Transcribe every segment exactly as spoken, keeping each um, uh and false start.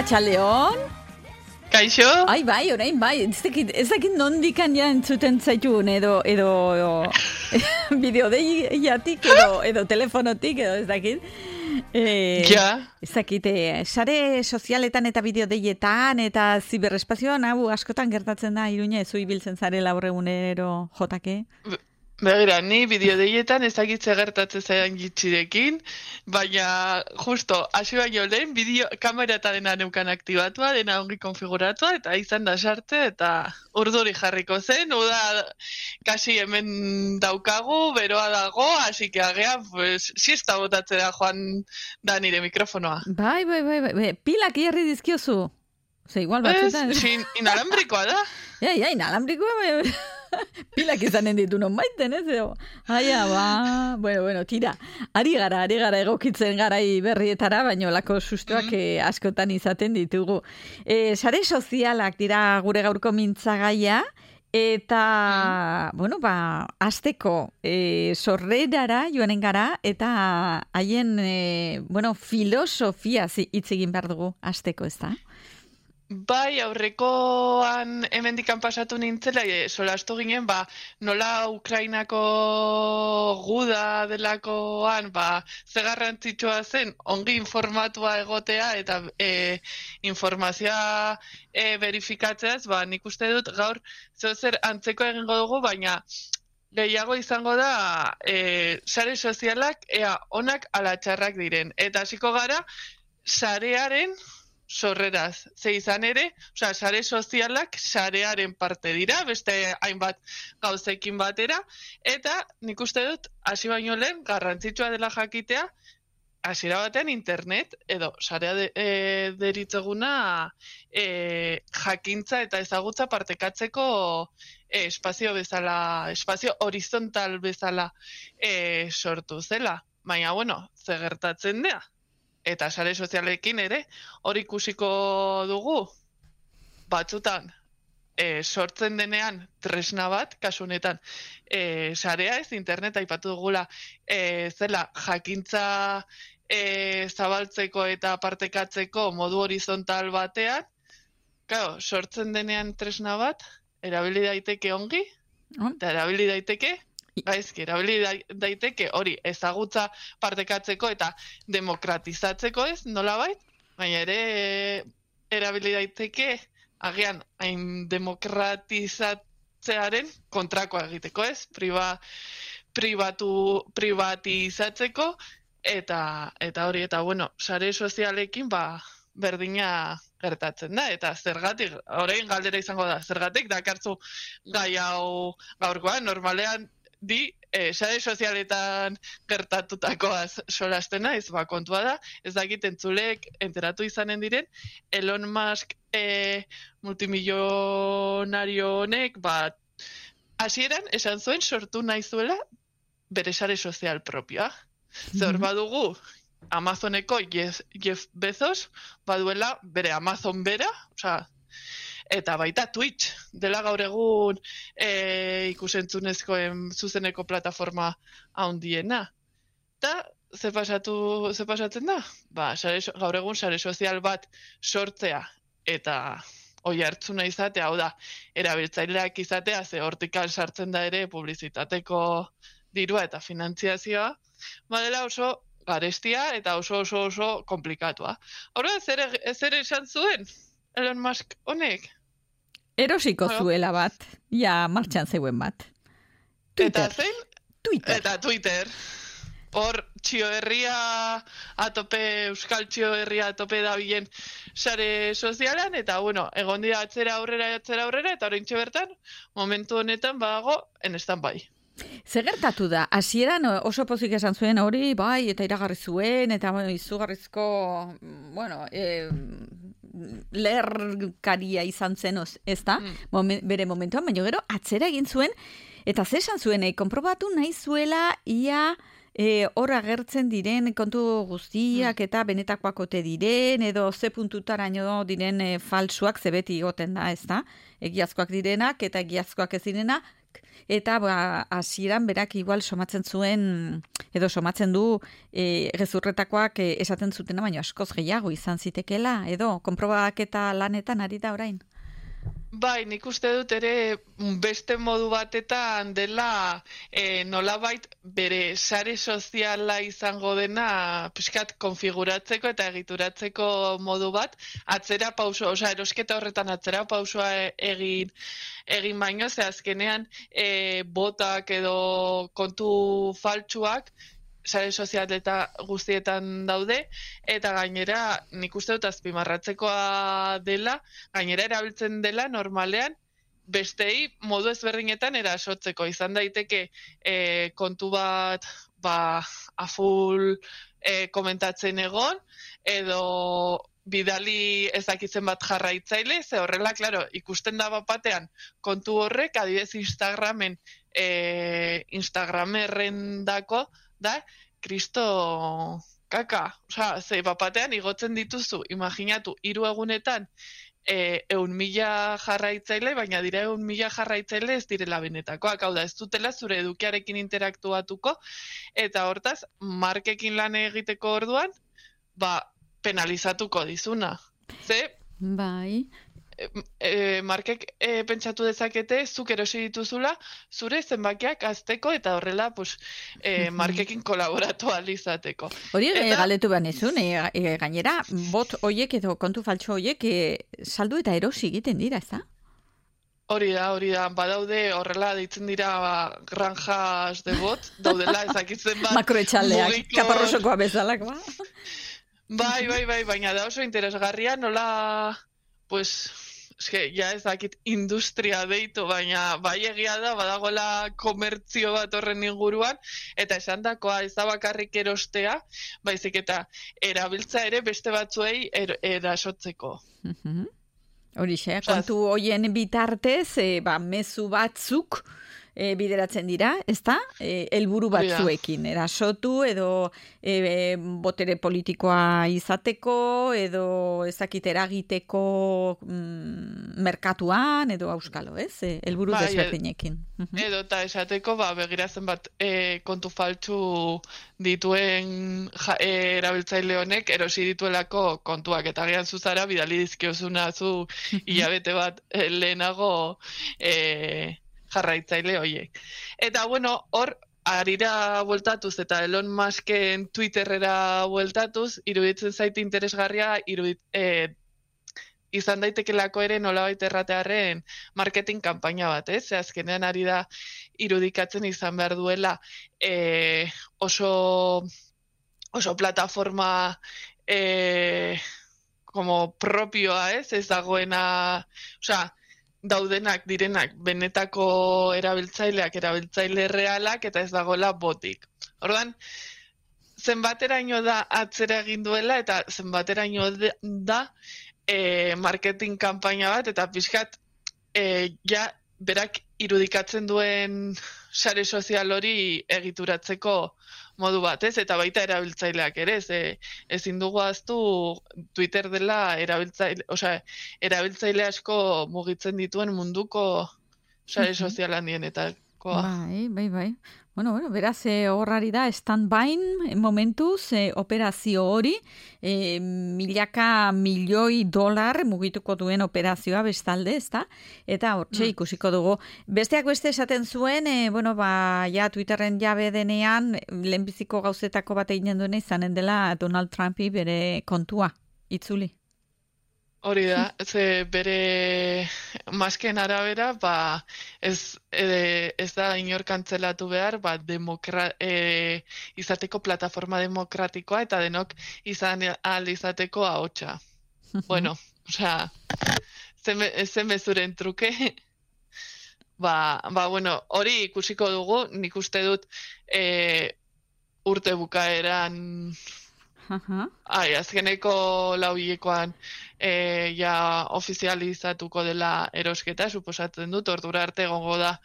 Arratsaldeon. Kaixo? Ai, bai, orain bai. Ez dakit, ez dakit nondikan ja entzuten zaitun, edo, edo, edo bideodeiatik, edo, edo telefonotik, edo ez dakit. Eh, ja. Ez dakit, eh, sare sozialetan eta bideodeietan eta ziberespazioan, hau askotan gertatzen da, Iruña, ez ibiltzen zarela horregunero jotake? Begira, ni bideodeietan ez dakit zer gertatzen zaidan gitxirekin, baina justo, hasi baino lehen, bideo kamera eta dena neukan aktibatua, dena ongi konfiguratua, eta izan da sarte, eta urduri jarriko zen, uda kasi hemen daukagu, beroa dago, hasi que agean, pues, siesta botatzera joan da nire mikrofonoa. Bai, bai, bai, bai, pilak hierri dizkiozu. Ze igual batzutan. Ez, sin, inalambrikoa da. Ja, ja, inalambrikoa, bai, pilak izanen ditu non baiten, ez? Aia, ba, bueno, bueno, tira. Ari gara, ari gara egokitzen garai berrietara, baina lako sustoak mm -hmm. askotan izaten ditugu. E, sare sozialak dira gure gaurko mintzagaia, eta, mm. bueno, ba, azteko e, sorrerara joanen gara, eta haien, e, bueno, filosofia hitz egin behar dugu azteko, ez da? Bai, aurrekoan hemendikan pasatu nintzela, e, solastu ginen, ba, nola Ukrainako guda delakoan, ba, ze garrantzitsua zen, ongi informatua egotea, eta e, informazioa e, verifikatzeaz, ba, nik uste dut gaur zeo zer antzeko egingo dugu, baina gehiago izango da e, sare sozialak ea onak ala txarrak diren. Eta hasiko gara, sarearen sorreraz, ze izan ere, osea, sare sozialak sarearen parte dira, beste hainbat gauzekin batera, eta nik uste dut, hasi baino lehen, garrantzitsua dela jakitea, hasiera batean internet, edo sarea de, e, deritzeguna e, jakintza eta ezagutza partekatzeko e, espazio bezala, espazio horizontal bezala e, sortu zela. Baina, bueno, ze gertatzen dea? Eta sare sozialekin ere, hori ikusiko dugu, batzutan, e, sortzen denean tresna bat, kasu honetan, e, sarea ez, internet aipatu dugula, e, zela jakintza e, zabaltzeko eta partekatzeko modu horizontal batean, claro, sortzen denean tresna bat, erabili daiteke ongi, eta erabili daiteke gaizki, erabili daiteke hori ezagutza partekatzeko eta demokratizatzeko ez, nolabait, baina ere erabili daiteke agian hain demokratizatzearen kontrakoa egiteko ez, priba, pribatu, privatizatzeko eta eta hori, eta bueno, sare sozialekin ba berdina gertatzen da, eta zergatik, orain galdera izango da, zergatik dakartzu gai hau gaurkoan, normalean di, eh, sare sozialetan gertatutakoaz solasten naiz, ba, kontua da, ez dakit entzulek enteratu izanen diren, Elon Musk eh, multimillonario honek, ba, hasieran esan zuen sortu nahi zuela bere sare sozial propioa. Mm-hmm. Zer badugu, Amazoneko Jeff, Jeff Bezos baduela bere Amazon bera, osea, eta baita Twitch, dela gaur egun e, ikusentzunezkoen zuzeneko plataforma handiena. Eta ze pasatu, ze pasatzen da? Ba, sare, gaur egun sare sozial bat sortzea eta oi hartzuna izatea, hau da, erabiltzaileak izatea, ze hortikan sartzen da ere publizitateko dirua eta finantziazioa, badela oso garestia eta oso oso oso komplikatua. Horra, zer, zer esan zuen Elon Musk honek? Erosiko zuela bat, ja martxan zeuen bat. Twitter. Eta zein? Twitter. Eta Twitter. Hor, txio herria atope, euskal txio herria atope da bilen sare sozialan, eta bueno, egon dira atzera aurrera, atzera aurrera, eta oraintxe bertan, momentu honetan badago en stand-by. Zer gertatu da, hasieran oso pozik esan zuen hori, bai, eta iragarri zuen, eta bueno, izugarrizko, bueno, eh, lerkaria izan zen, ez da, mm. Momen, bere momentuan, baina gero atzera egin zuen, eta ze esan zuen, eh, konprobatu nahi zuela ia e, hor agertzen diren kontu guztiak mm. eta benetakoak ote diren, edo ze puntutaraino diren e, falsuak zebeti goten da, ez da, egiazkoak direnak eta egiazkoak ez direna, eta ba, hasieran berak igual somatzen zuen, edo somatzen du e, gezurretakoak e, esaten zutena, baina askoz gehiago izan zitekela, edo konprobaketa lanetan ari da orain? Bai, nik uste dut ere beste modu batetan dela e, nolabait bere sare soziala izango dena pixkat konfiguratzeko eta egituratzeko modu bat, atzera pauso, osea erosketa horretan atzera pausoa egin egin baino, ze azkenean e, botak edo kontu faltsuak sare sozial eta guztietan daude, eta gainera nik uste dut azpimarratzekoa dela, gainera erabiltzen dela normalean bestei modu ezberdinetan erasotzeko. Izan daiteke e, kontu bat ba, aful e, komentatzen egon, edo bidali ezakitzen bat jarraitzaile, ze horrela, klaro, ikusten da bapatean kontu horrek, adibidez Instagramen, e, Instagramerrendako, da, kristo kaka. Osea, ze bapatean igotzen dituzu, imaginatu, hiru egunetan e, eun mila jarraitzaile, baina dira eun mila jarraitzaile ez direla benetakoak. Hau da, ez dutela zure edukiarekin interaktuatuko, eta hortaz, markekin lan egiteko orduan, ba, penalizatuko dizuna. Ze, bai. E, e, markek e, pentsatu dezakete zuk erosi dituzula zure zenbakiak azteko eta horrela pues, e, markekin kolaboratu alizateko. Hori eta... e, galetu banezun, e, e, gainera bot hoiek edo kontu faltxo hoiek e, saldu eta erosi egiten dira, ez da? Hori da, hori da, badaude horrela deitzen dira ba, granjas de bot, daudela ezakitzen bat makroetxaldeak, mugiko... kaparrosokoa bezalak, ba? Bai, bai, bai, baina da oso interesgarria, nola, pues, eske, ja ezakit industria deitu, baina bai egia da, badagoela komertzio bat horren inguruan, eta esan dakoa ez da bakarrik erostea, baizik eta erabiltza ere beste batzuei er, erasotzeko. Mhm. Horixe, kontu hoien bitartez, e, ba, mezu batzuk e, bideratzen dira, ezta? E, helburu batzuekin, erasotu edo e, botere politikoa izateko, edo ezakit eragiteko mm, merkatuan, edo auskalo, ez? E, helburu bai, desberdinekin. Edo eta esateko, ba, begiratzen bat e, kontu faltsu dituen ja, e, erabiltzaile honek erosi dituelako kontuak, eta gian zuzara bidali dizkiozuna zu hilabete bat e, lehenago e, jarraitzaile hoiek. Eta bueno, hor harira bueltatuz eta Elon Musken Twitterrera bueltatuz, iruditzen zait interesgarria irudit, e, izan daitekelako ere nolabait erratearren marketing kanpaina bat, ez? Ze azkenean ari da irudikatzen izan behar duela e, oso, oso plataforma e, como propioa, ez? Ez dagoena, osea, daudenak direnak benetako erabiltzaileak, erabiltzaile realak, eta ez dagoela botik. Orduan, zenbateraino da atzera egin duela, eta zenbateraino da e, marketing kanpaina bat, eta pixkat e, ja berak irudikatzen duen sare sozial hori egituratzeko modu bat, ez? Eta baita erabiltzaileak ere, ez? E, ezin dugu ahaztu Twitter dela erabiltzaile, osea, erabiltzaile asko mugitzen dituen munduko sare sozial handienetakoa. Bai, bai, bai. Bueno, bueno, beraz, e, horrari da, stand-by momentuz, e, operazio hori, e, milaka milioi dolar mugituko duen operazioa bestalde, ezta? Eta hortxe ikusiko dugu. Besteak beste esaten zuen, e, bueno, ba, ja, Twitterren jabe denean, lehenbiziko gauzetako bat eginen duena izanen dela Donald Trumpi bere kontua, itzuli. Hori da, ze bere masken arabera, ba, ez, e, ez da inor kantzelatu behar, ba, demokra, e, izateko plataforma demokratikoa eta denok izan ahal izateko ahotsa. Bueno, osea, zen bezuren truke, ba, ba, bueno, hori ikusiko dugu, nik uste dut e, urte bukaeran, ai, azkeneko lauhilekoan e, ja ofizializatuko dela erosketa, suposatzen dut, ordura arte egongo da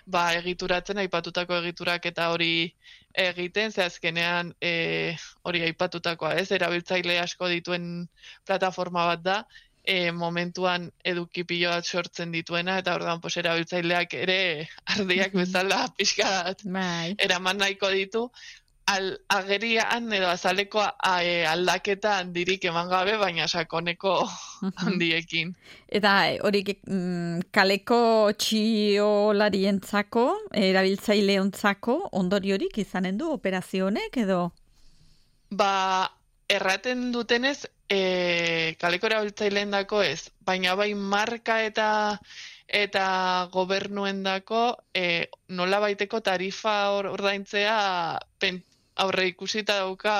ba, egituratzen, aipatutako egiturak eta hori egiten, ze azkenean e, hori aipatutakoa, ez, erabiltzaile asko dituen plataforma bat da, e, momentuan eduki pilo bat sortzen dituena, eta orduan pues, erabiltzaileak ere ardiak bezala pixkat Bai. eraman nahiko ditu, Al, agerian edo azaleko a, e, aldaketa handirik eman gabe, baina sakoneko handiekin. Eta hori mm, kaleko txiolarientzako, erabiltzaileontzako ondoriorik izanen du operazio honek edo? Ba, erraten dutenez, e, kaleko erabiltzaileendako ez, baina bai marka eta eta gobernuendako e, nola baiteko tarifa ordaintzea pen, aurre ikusita dauka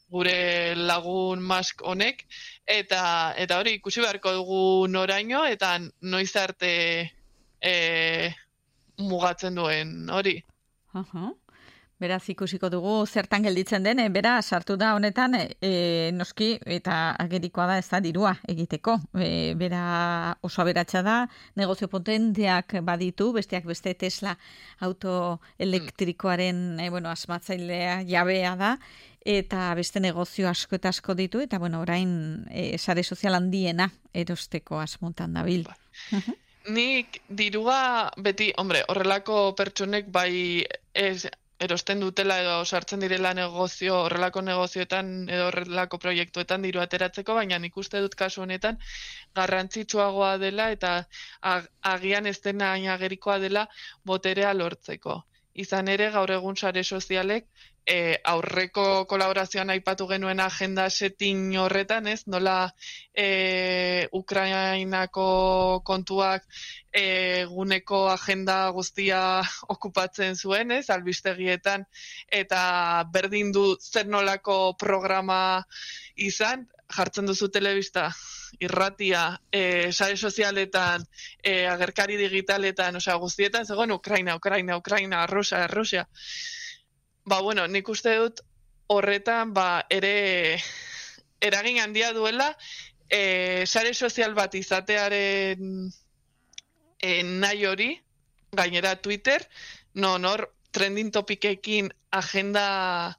gure lagun Musk honek, eta eta hori ikusi beharko dugu noraino, eta noiz arte e, mugatzen duen hori. Aha. Beraz ikusiko dugu zertan gelditzen den, bera sartu da honetan, e, noski, eta agerikoa da ez da dirua egiteko. E, bera oso aberatsa da, negozio potenteak baditu, besteak beste Tesla autoelektrikoaren e, bueno, asmatzailea jabea da, eta beste negozio asko eta asko ditu, eta bueno, orain e, sare sozial handiena erosteko asmontan dabil. Nik dirua beti, hombre, horrelako pertsonek bai ez erosten dutela edo sartzen direla negozio, horrelako negozioetan edo horrelako proiektuetan diru ateratzeko, baina nik uste dut kasu honetan garrantzitsuagoa dela eta ag, agian ez dena agerikoa dela boterea lortzeko. Izan ere, gaur egun sare sozialek e, aurreko kolaborazioan aipatu genuen agenda setting horretan, ez? Nola e, Ukrainako kontuak eguneko agenda guztia okupatzen zuen, ez? Albistegietan, eta berdin du zer nolako programa izan, jartzen duzu telebista, irratia, e, sare sozialetan, e, agerkari digitaletan, osea, guztietan, zegoen Ukraina, Ukraina, Ukraina, Rusia, Rusia. Ba, bueno, nik uste dut horretan, ba, ere eragin handia duela, e, sare sozial bat izatearen e, nahi hori, gainera Twitter, no, nor, trending topikekin agenda...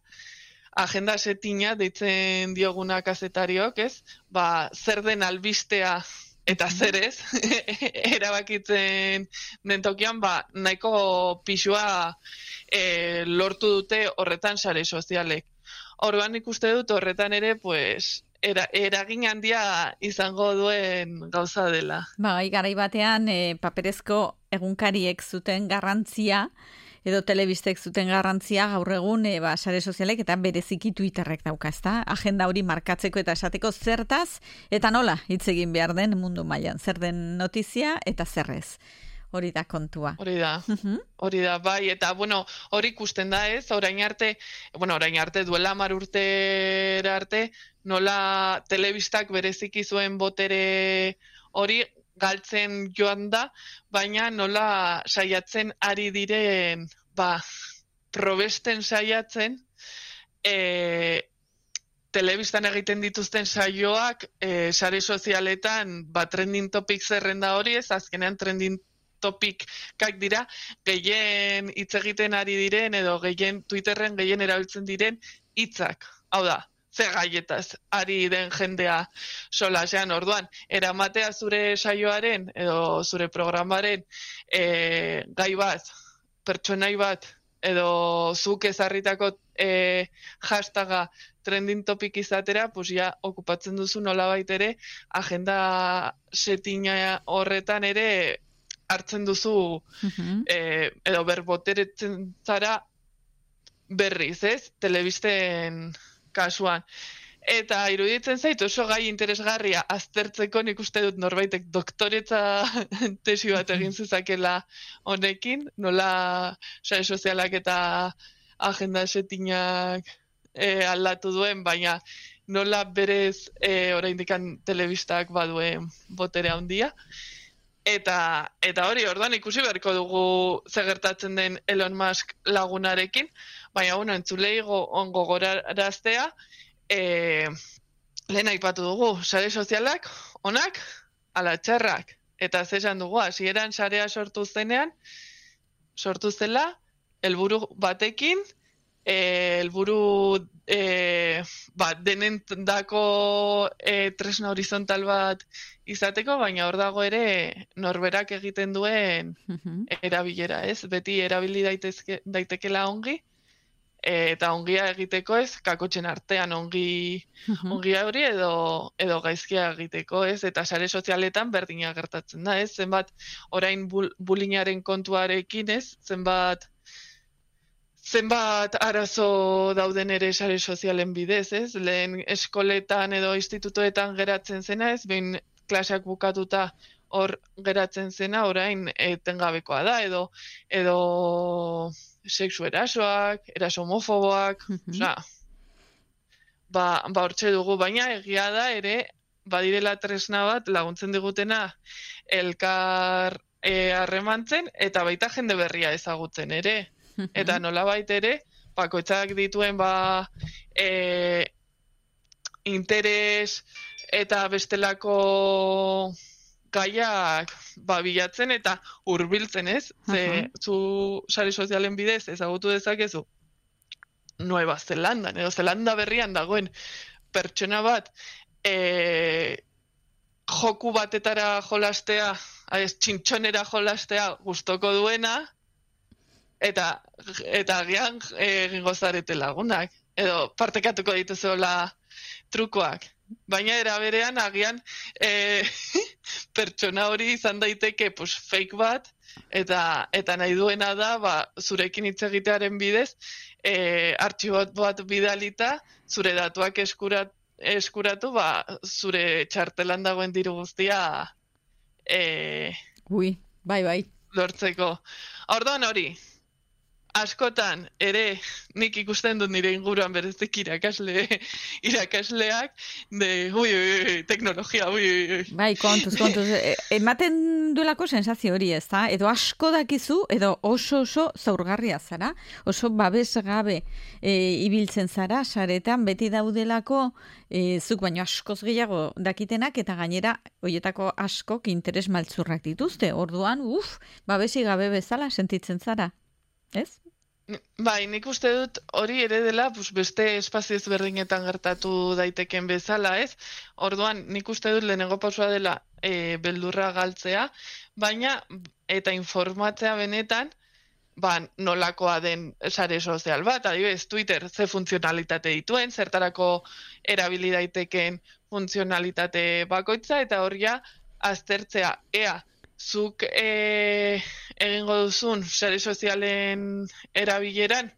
agenda setina deitzen dioguna kazetariok, ez? Ba, zer den albistea eta zer ez, erabakitzen den tokian, ba, nahiko pixua e, lortu dute horretan sare sozialek. Orduan ikuste dut horretan ere, pues, era, eragin handia izango duen gauza dela. Ba, garai batean e, paperezko egunkariek zuten garrantzia, edo telebistek zuten garrantzia gaur egun e, ba, sare sozialek eta bereziki Twitterrek dauka, ezta? Agenda hori markatzeko eta esateko zertaz eta nola hitz egin behar den mundu mailan, zer den notizia eta zerrez. Hori da kontua. Hori da, hori da, bai, eta, bueno, hori ikusten da ez, orain arte, bueno, orain arte, duela hamar urtera arte, nola telebistak bereziki zuen botere hori galtzen joan da, baina nola saiatzen ari diren, ba, probesten saiatzen, e, telebistan egiten dituzten saioak, e, sare sozialetan, ba, trending topic zerrenda hori ez, azkenean trending topikak dira, gehien hitz egiten ari diren, edo gehien Twitterren gehien erabiltzen diren hitzak. Hau da, ze gaietaz ari den jendea solasean, orduan, eramatea zure saioaren, edo zure programaren e, gai bat, pertsonai bat, edo zuk ezarritako e, hashtaga trending topic izatera, pues ja, okupatzen duzu nolabait ere, agenda setina horretan ere hartzen duzu, uh-huh. e, edo berboteretzen zara berriz, ez? Telebisten kasuan. Eta iruditzen zait oso gai interesgarria aztertzeko, nik uste dut norbaitek doktoretza tesi bat egin zezakela honekin, nola sare sozialak eta agenda setinak e, aldatu duen, baina nola berez e, oraindikan telebistak baduen botere handia. Eta, eta hori, orduan ikusi beharko dugu ze gertatzen den Elon Musk lagunarekin, baina, bueno, entzulei ongo goraraztea, e, lehen aipatu dugu, sare sozialak, onak, ala txarrak. Eta zesan dugu, hasieran sarea sortu zenean, sortu zela, helburu batekin, helburu e, ba, denendako e, tresna horizontal bat izateko, baina hor dago ere norberak egiten duen erabilera, ez? Beti erabili daitezke, daitekela ongi, eta ongia egiteko ez, kakotxen artean ongi, uh-huh. ongia hori edo, edo gaizkia egiteko ez, eta sare sozialetan berdina gertatzen da ez, zenbat orain bul, bulinaren kontuarekin ez, zenbat zenbat arazo dauden ere sare sozialen bidez ez, lehen eskoletan edo institutoetan geratzen zena ez, behin klaseak bukatuta hor geratzen zena orain etengabekoa da, edo edo sexu erasoak, eraso homofoboak, mm-hmm. osea, ba, ba hortxe dugu, baina egia da ere, badirela tresna bat laguntzen digutena elkar harremantzen, e, eta baita jende berria ezagutzen ere, mm-hmm. eta nolabait ere, bakoitzak dituen ba, e, interes eta bestelako gaiak ba, bilatzen eta hurbiltzen ez, ze uh-huh. zu sare sozialen bidez ezagutu dezakezu Nueva Zelandan, edo Zelanda berrian dagoen pertsona bat e, joku batetara jolastea, ez, txintxonera jolastea gustoko duena, eta eta agian egingo zarete lagunak, edo partekatuko dituzuela trukoak. Baina era berean agian e, pertsona hori izan daiteke pues, fake bat eta eta nahi duena da ba, zurekin hitz egitearen bidez e, artxibo bat bidalita zure datuak eskurat, eskuratu ba, zure txartelan dagoen diru guztia e, Ui, bai, bai. lortzeko. Orduan hori, askotan ere nik ikusten dut nire inguruan berezik irakasle irakasleak de ui, ui, ui teknologia ui, ui. Bai, kontuz, kontuz. Ematen duelako sensazio hori ez da, edo asko dakizu, edo oso oso zaurgarria zara, oso babes gabe e, ibiltzen zara, saretan beti daudelako e, zuk baino askoz gehiago dakitenak, eta gainera horietako askok interes maltzurrak dituzte, orduan, uf, babesi gabe bezala sentitzen zara. Ez? Bai, nik uste dut hori ere dela pues, beste espazio ezberdinetan gertatu daiteken bezala, ez? Orduan, nik uste dut lehenengo pausua dela e, beldurra galtzea, baina eta informatzea benetan ba, nolakoa den sare sozial bat, adibidez, Twitter ze funtzionalitate dituen, zertarako erabili daiteken funtzionalitate bakoitza, eta horria aztertzea, ea, zuk e, egingo duzun sare sozialen erabileran,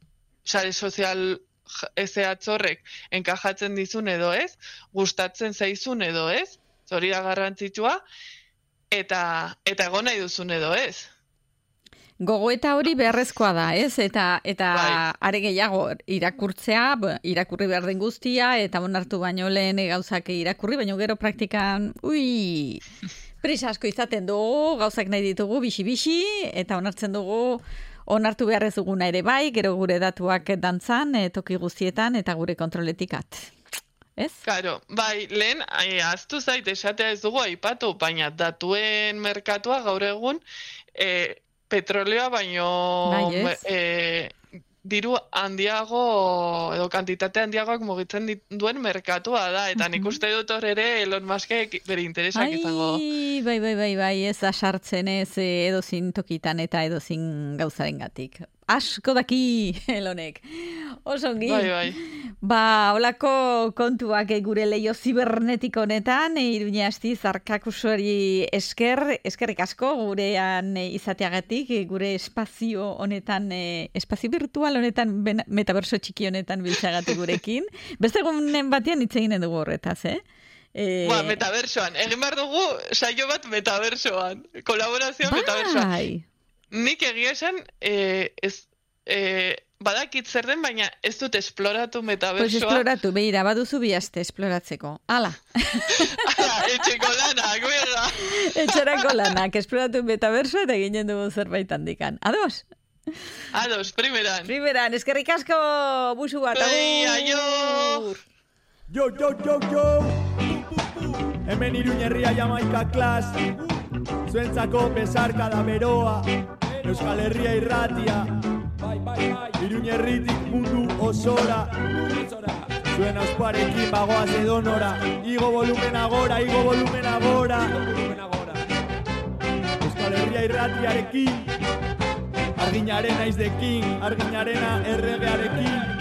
sare sozial ezeatz horrek enkajatzen dizun edo ez, gustatzen zaizun edo ez, hori da garrantzitsua, eta, eta egon nahi duzun edo ez. Gogoeta hori beharrezkoa da, ez? Eta, eta bai. Are gehiago irakurtzea, irakurri behar den guztia, eta onartu baino lehen gauzak irakurri, baino gero praktikan, ui... Prisa asko izaten dugu, gauzak nahi ditugu, bixi-bixi, eta onartzen dugu, onartu behar ez duguna ere bai, gero gure datuak dantzan, e, toki guztietan, eta gure kontroletikat. Ez? Claro, bai, lehen, aztu zait, esatea ez dugu aipatu, baina datuen merkatua gaur egun, e, petroleoa baino... Bai, e, diru handiago edo kantitate handiagoak mugitzen duen merkatua da, eta nik uste dut hor ere Elon Muskek bere interesak Ai, izango. Bai, bai, bai, bai, ez da sartzen ez edozin tokitan eta edozin gauzaren gatik. Asko daki Elonek. Osongi. Bai, bai. Ba, holako kontuak gure leio zibernetiko honetan, Iruña Astiz Arkakusuari esker, eskerrik asko gurean izateagatik, gure espazio honetan, espazio virtual honetan, metaverso txiki honetan biltzagatik gurekin. Beste egunen batean hitz egin dugu horretaz, eh? Eh... Ba, metaversoan. Egin behar dugu saio bat metaversoan. Kolaborazioa bai. Metaversoan. Nik egia esan, eh, ez, eh, badakit zer den, baina ez dut esploratu metaversoa. Pues esploratu, behira, baduzu bihazte esploratzeko. Ala! Ala, etxeko lanak, bera! Etxerako lanak, esploratu metaversoa eta ginen dugu zerbait handikan. Ados? Ados, primeran. Primeran, eskerrik asko, busu bat, agur! Bai, aio! Yo, yo, yo, yo! Hemen Iruña herria Jamaika klas, zuentzako besarka da beroa, Euskal Herria irratia, Iruñerritik mundu osora, zuen ausparekin bagoaz edonora. Igo volumena gora, igo volumena gora. Euskal Herria irratiarekin, arginaren aizdekin, arginarena erregearekin.